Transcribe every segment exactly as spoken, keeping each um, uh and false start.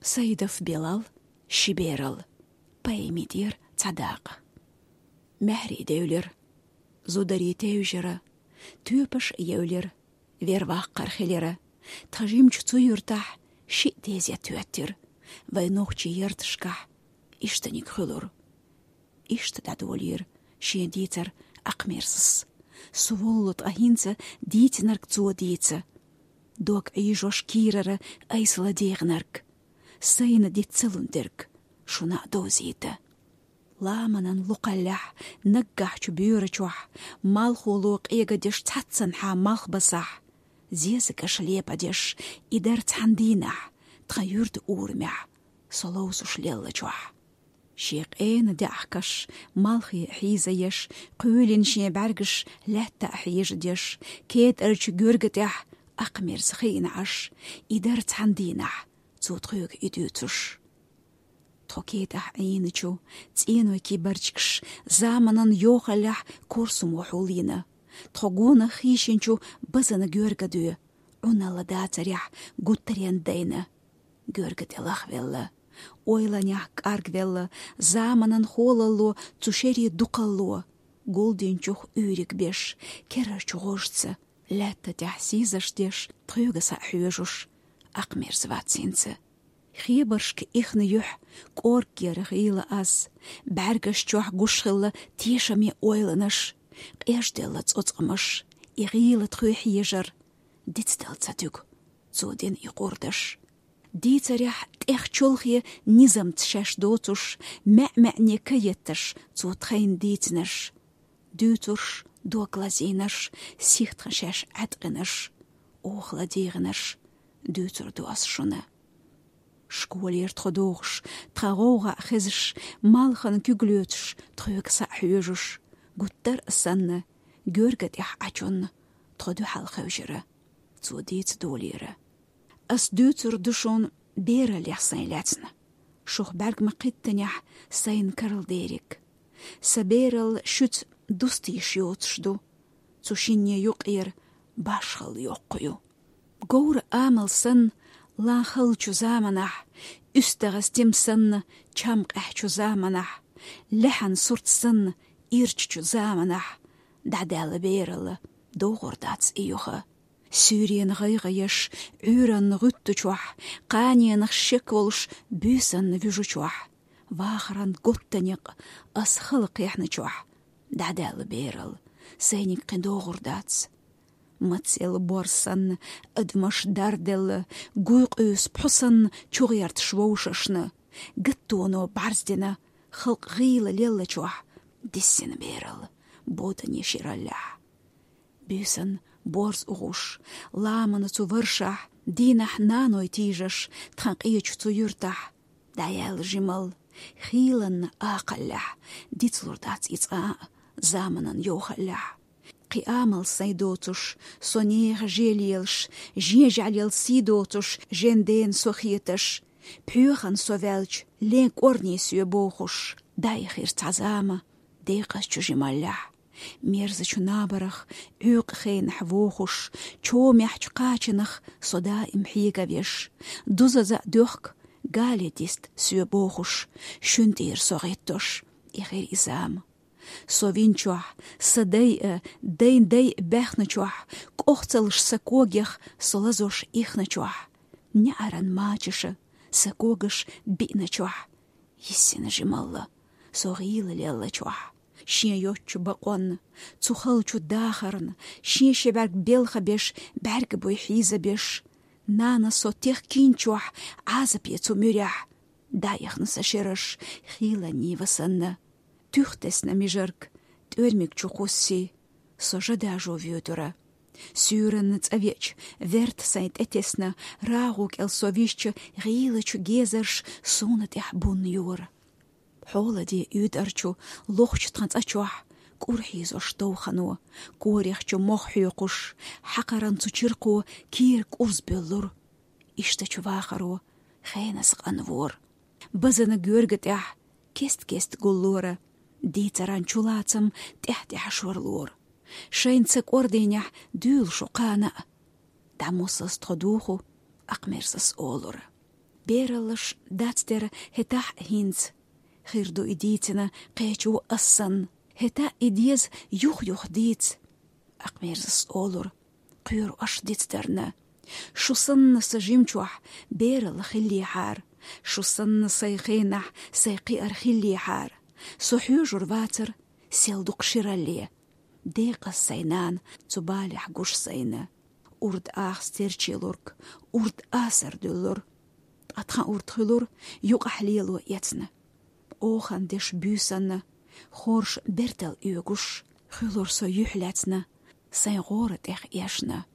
Саидов Билал. «Ши берал». Поэмидер цадакъ. Мехри девлер, зудари тевжера, тюпаш евлер, вервах кархилера. Тхажимч цу юртах ши тезя тюттер. Вайнохчи ертшках иштаник хулур. Ишта дадволир шен дийцар Акъмерзас. Суволлут ахинца дийцнарк цо дийца. Дог ийжош кирара айсла дегнарк. Сайна дицалун дерг шуна дозита. Ламанан лукъаллях, наггахчу бюрачух, малхулу къегадеш цацсан ха малхбасах. Зезагаш лепадеш, идар цхьандийнах, тха юрт урмях, соловсуш леллачух. Ши къена дяхкаш, малхи хьизаеш, къуйлин шен бяргаш лятта хьежадеш, кетарч гургатях Акъмерз хийнаш, идар цхьандийнах, цу тхуг идуцуш. Тхо кетах Ӏийначу, цӀеной ки барчкаш, заманан йохаллях курсумо хьулина. Тхо гона хийшинчу базана гургадуй, Ӏуналла дацарях гуттарен дайна. Гурга тӀелахвелла, ойланях кӀаргвелла, заманан холалло цу шери дукъалло. Гулдинчух уьйриг беш, керарчу гъожца, лятта тӀехь сийзаш деш, тхуьга са хьоьжуш, Акъмерз вацинца. Хебаршка ихна юьхь кӀорггера гӀийла аз, бӀаьргаш чохь гуш хилла тешаме ойланаш, къежделла цӀоцкъамаш, и гӀийла тхуьй хьежар, дицдал ца туьгу цо дина и къурдаш. Дийцарехь тӀех чолхе низамца шаьш доцуш, маьӀ-маьӀне ка етташ цо тхайна дийцинарш. Дуьйцурш дог лазийнарш, сихха шаьш Ӏаьткъинарш, оха ладийгӀинарш дуьйцур ду ас шуна. Школера тхо дохуш, тхан гӀовгӀа хезаш, малхан куьг лоьцуш, тхоьга са хьоьжуш, гуттар а санна, гуьрга тӀехь Ӏачунна, тхо дуьхьал хевшира, цо дийца долийра. Ас дуьйцур ду шуна бераллех сайн лаьцна. Шух бӀаьрг ма кхиттанехь сайна карладериг. Сан бералла шуьца дустийша йоцуш ду. Цу шинне юкъера башхалла йоккха ю. Говра амал санна, лан халчу заманахь, уьстагӀа стим санна, чам къаьхьачу заманахь, лаьхьан сурт санна, ирчачу заманахь, дӀадаьлла бералла, догӀур дац и юха. Суьйренан гӀайгӀа еш, Ӏуьйранна гӀуьттучохь, кханенах шек волуш буьйсанна вуьжучохь, вахаран готтанекъ ас хала кхехьначохь, дӀадаьлла бералла, сайниг кхин догӀур дац. Мацелла борз санна, адамаш дарделла, гуй къуьйсу пхьу санна чугӀерташ вовшашна, гаттоно бӀарздина, халкъ гӀийла леллачохь, диссина бералла, бодане шираллехь. Буьйсан борз угӀуш, ламана цу варшахь, дийнахь наной тийжаш, тхан къечу цу юьртахь, дӀаяьлла жималла, хийланна акхаллехь, дицлур дац и цкъа а заманан йохаллехь. Кхин амал сайн доцуш, со нехан же лелаш, жен жӀаьлел сий доцуш, жен дена со хеташ, пхьоьхан со ваьлча, лен кӀорни соь бохуш, дайхира цхьа зама декъазчу жималлехь. Мерзачу набарах Ӏуьйкъа хенахь вохуш, чомехьчу кхачанах со даим хьега веш, дузаза а доьхку, гали дист соь бохуш, шуьнан тӀера со гӀиттош, и хир и зама. Со винчохь, сан дай а, дайн дай а баьхначохь, кӀохцалш сан когех со лазош ихначохь, неӀаран мачаша сан когаш биъначохь, йиссина жималла со гӀийла леллачохь, шен йоцчу бакъонна, цу халчу дахарна, шен ши бӀаьрг белха беш, бӀаьрг буй хьийза беш, нана со техкинчохь, Ӏазапе цу муьрехь, дайхна сан шераш, хийланний ва санна. Туьх тесна мижарг, тӀоьрмиг чу кхуссий, со жа дажо воьдура. Суьйранна цӀа веача, верта сайн тӀетесна, рагӀу кӀел со вижча, гӀийлачу гезарш суна тӀехь бунна йора. Хьоладе уьйтӀарчу лохчу тхан цӀа чохь, кӀур хьийзош довхано, корехчу мох хьоькхуш, хьакхаран цу чиркхо кийра кӀурз боьллура. Иштачу вахаро хенас къанвора. Базана гуьрга тӀехь кест-кест гуллора, дийцаран чулацам тӀаьхь-тӀаьхьа шорлора. Шайн ца кӀордийнехь дуьйла шу кхана а. ДӀамосаза тхо духу, Акъмерзас олура. Бераллаш дацдер хӀетахь а хӀинца. Хир ду и дийцина кхечо ас санна. ХӀета и деза юх-юха дийца. Акхмерзас олура: «Кхоьру аш дицдарна. Шу санна сан жимчохь бералла хиллехьара. Шу санна сайн хенахь сайн кхиар хиллехьара. Со хьоьжур вацара сел дукха ширалле. Декъаза сайн нана цу балехь гуш сайна». Урд аха стерчий лург, урд асар дуьллура. Ткъа тхан урд хуьлура юкъахь лело эцна. Охан деш буьйсанна, хорша бертал оьгуш, хуьлура со юьхь лаьцна, сайн гӀора тӀех эшна.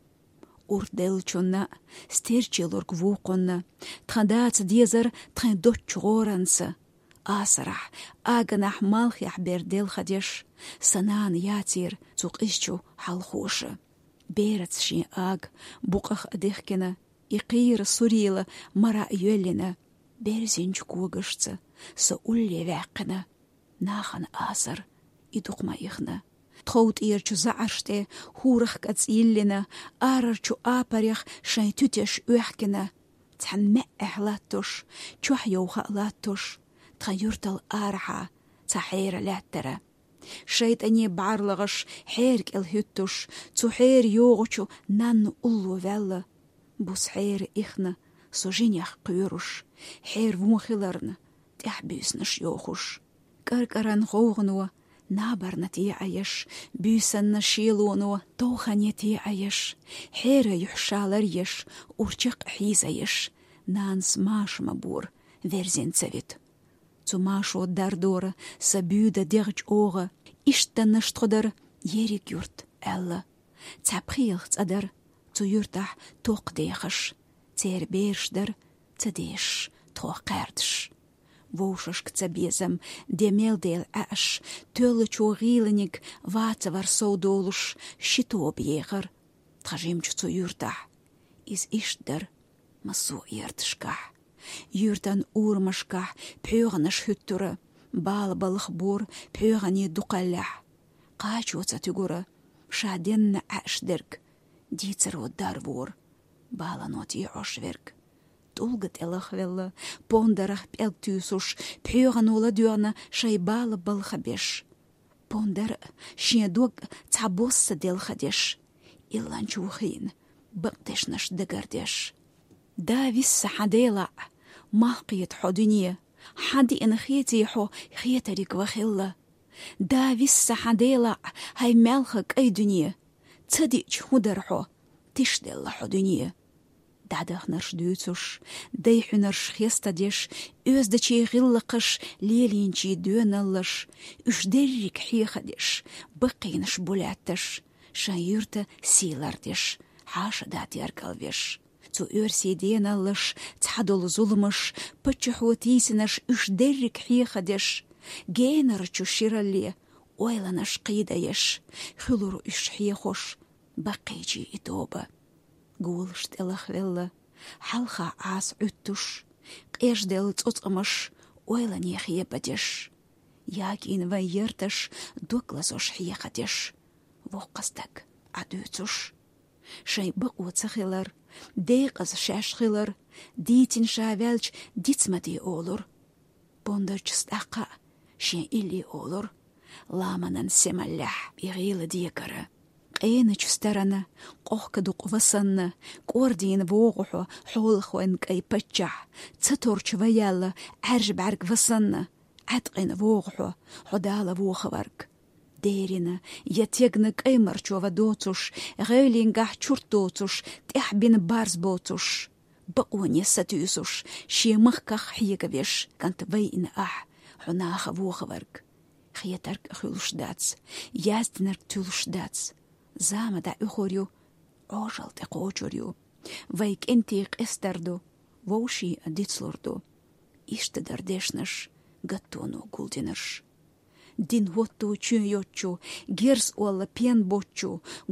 Урд деллачунна стерчий лург вукхунна, тхан дацар дезара тхайн доцчу гӀоранца. Асарахь, аганахь, малхехь бер делхадеш, сан нана яцийра цу къизачу хьалхоша. Бераца шен ага букъах а дихкина, и кхийра сурийла мара а йоьллина, берзинчу когашца со улле ваьккхина. Нахана асар и дукха ма ихна. Тхов тӀерачу заӀарш тӀе хӀурах кӀац йиллина, арарчу апарех шайн туьтеш оьхкина, цхьана маьӀӀехь латтош, чохь йовха а латтош, тхан юьртал арахьа цхьа хьера лаьттара. ШайтӀане бӀарлагӀаш хьера кӀел хӀуьттуш, цу хьера йогӀучу нанна улло ваьлла. Буса хьера ихна, со жинех кхоьруш, хьера вон хиларна, тӀаьхьа буьйсанаш йохуш. КӀаркӀаран гӀовгӀано набарна теӀаеш, буьйсанна шелоно товхане теӀаеш, хьера юьхь шалар еш, урчакх а хьийзаеш, нанас маша ма бора, верзина ца вита. Цу машо дардора сан буьйда дегӀ чӀогӀа, иштаннаш тхо дара ерриг юрт аьлла. Цхьа пхийлах цӀа дара цу юьртахь токхадехаш, церан бераш дара ца дешаш тхох кхаьрдаш. Вовшашка ца безам, де мел дела Ӏаьаш, тоьллачо гӀийланиг ваца вар сов долуш, ши тоба ехар тхан жимчу цу юьртахь. Иза иштта дара массо а ярташкахь. Юьртан урамашкахь пхьоьгӀанаш хӀуьттура, бала балха бора пхьоьгӀанийн дукхаллехь. Кхачо ца туьгура ша денна Ӏаьаш дерг, дийцаро дар вора балано тӀеӀош верг. ТӀулга тӀе лахвелла, пондарах пӀелг туьйсуш, пхьоьгӀано ладоьгӀна шайн бала балха беш. Пондар а, шен дог а цхьа босса делхадеш, илланчу хийна бакъдешнаш дагардеш. Да висса хьан Делахь, малх кхета хьо дуьне, хьан диъна хеций хьо хетариг ван хилла. Да висса хьан Делахь, хьайн маьлха кӀай дуьне, ца диъча хӀун дара хьо, тишделла хьо дуьне. ДӀадахнарш дуьйцуш, дайн хьуьнарш хестадеш, оьздачийн гӀиллакхаш, лелийначийн доьналлаш, уьш дерриг хьехадеш, баккхийнаш бу лаьтташ, шайн юьрта сий лардеш, хьаша да тергалвеш. Цу оьрсийн деналлаш, цхьадолу зуламаш, паччахьо тийсинарш уьш дерриг хьехадеш, генарчу ширалле ойланаш кхийдаеш, хуьлура уьш хьехош баккхийчийн и тоба. Голаш тӀе лахвелла, хьалха Ӏаса Ӏуьттуш, къежделла цӀоцкъамаш ойлане хебадеш, ягийна вайн ярташ дог лазош хьехадеш, воккха стаг Ӏа дуьйцуш. Шайн бакъо ца хилар, декъаза шаьш хилар, дийцина ша ваьлча диц ма де олура. Пондарчу стӀаккха а шен илли олура, ламанан семаллехь и гӀийла декара. Къеначу старана къохка дукъ васанна, кӀордийна вогӀу хьо, хьолахойн кӀай паччахь, ца торчу ваяьлла Ӏаьржа бӀаьрг васанна, Ӏаьткъина вогӀу хьо, хьо Дала вохаварг. Дерина я тегна кӀаймарчо ва доцуш, гӀевлингахь чурт доцуш, тӀаьхьа бина барз боцуш, бакъоне сатуьйсуш, шен махках хьегавеш, кӀант вайина ахь, хьо наха вохаварг. Хетарг а хуьлуш дац, яздинарг туьлуш дац. Зама дӀа уьхур ю, Ӏожалла тӀе кхочур ю. Вай кӀентий къестар ду, вовшийн а дицлур ду. Иштта дара дешнаш, гаттоно гулдинарш. Дин хӀотто чоь йоцчу, герз олла пен боцчу,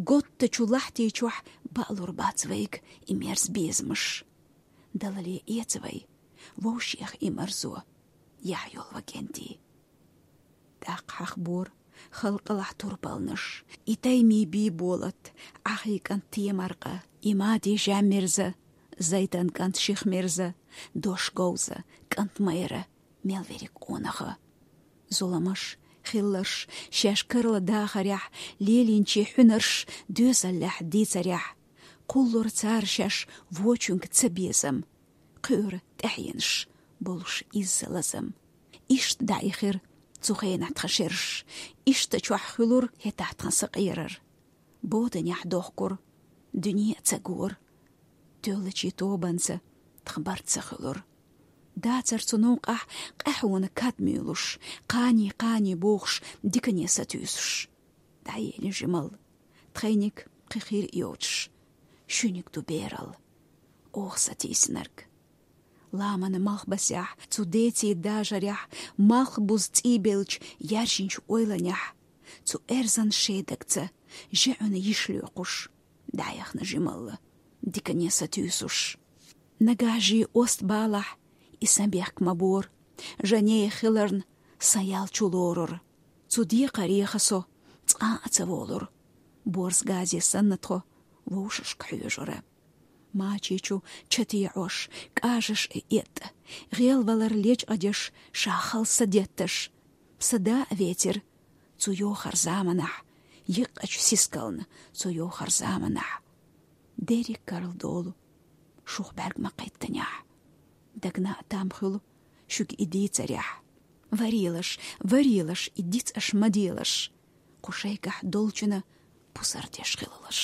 готтачу лахьти чохь баалур бац вайга и мерза безамаш. Далале эца вай вовшех и марзо, яхь йолу вай кӀентий. ТӀаккха хьахбора халкъалахь турпалнаш, и таймин бийболат, Ӏахий кӀант Темаркъа, и мадий Жаммирза, Зайтан кӀант ших мерза, дош говза, кӀант майра, мел верриг къонаха. Зуламаш, хилларш, шаьш карла дахарехь, лелийначийн хьуьнарш, доьзаллехь дийцарехь, кхуллура цара шаьш вочуьнга цабезам, кхуьура тӀаьхьенаш, болуш изза лазам. Иштта дӀаихира цу хенахь тхан шераш, иштта чохь хуьлура хӀетахь тхан сакъерар. Боданехь дохкура, дуьне а ца гора. Тоьллачийн тобанца тхан барт ца хуьлура. Дацара цу новкъахь къаьхьона кад муьйлуш, кхане-кхане бохуш, дикане сатуьйсуш. ДӀаели жималла, тхайниг кхин хир а йоцуш, шуьниг ду бералла, оха сатийсинарг. Ламан малхбасехь, цу деций дажарехь, малхбуза цӀийбелча яьржинчу ойланехь, цу эрзан шедагца жеӀуьна йиш лоькхуш, дӀаяхна жималла, дикане сатуьйсуш. Нагахь жий ост балахь, и сан бехк ма бора, жанея хиларна сан ял чу лорура. Цу декхареха со цкъа а ца волура, борз газе санна тхо вовшашка хьоьжура. Мачи чу чатеӀош, кӀажаш а эттӀа, гӀелвалар лечкъадеш, ша хала са детташ, сан да а вецира цу йохар заманахь, йиккъачу сискална цу йохар заманахь. Дерриг карла долу шух бӀаьрг ма кхеттанехь. Дагна а там хуьлу шуьга и дийцарехь. Варелаш, варелаш, и диц аша ма делаш, кху шайгахь долчунна пусар деш хилалаш.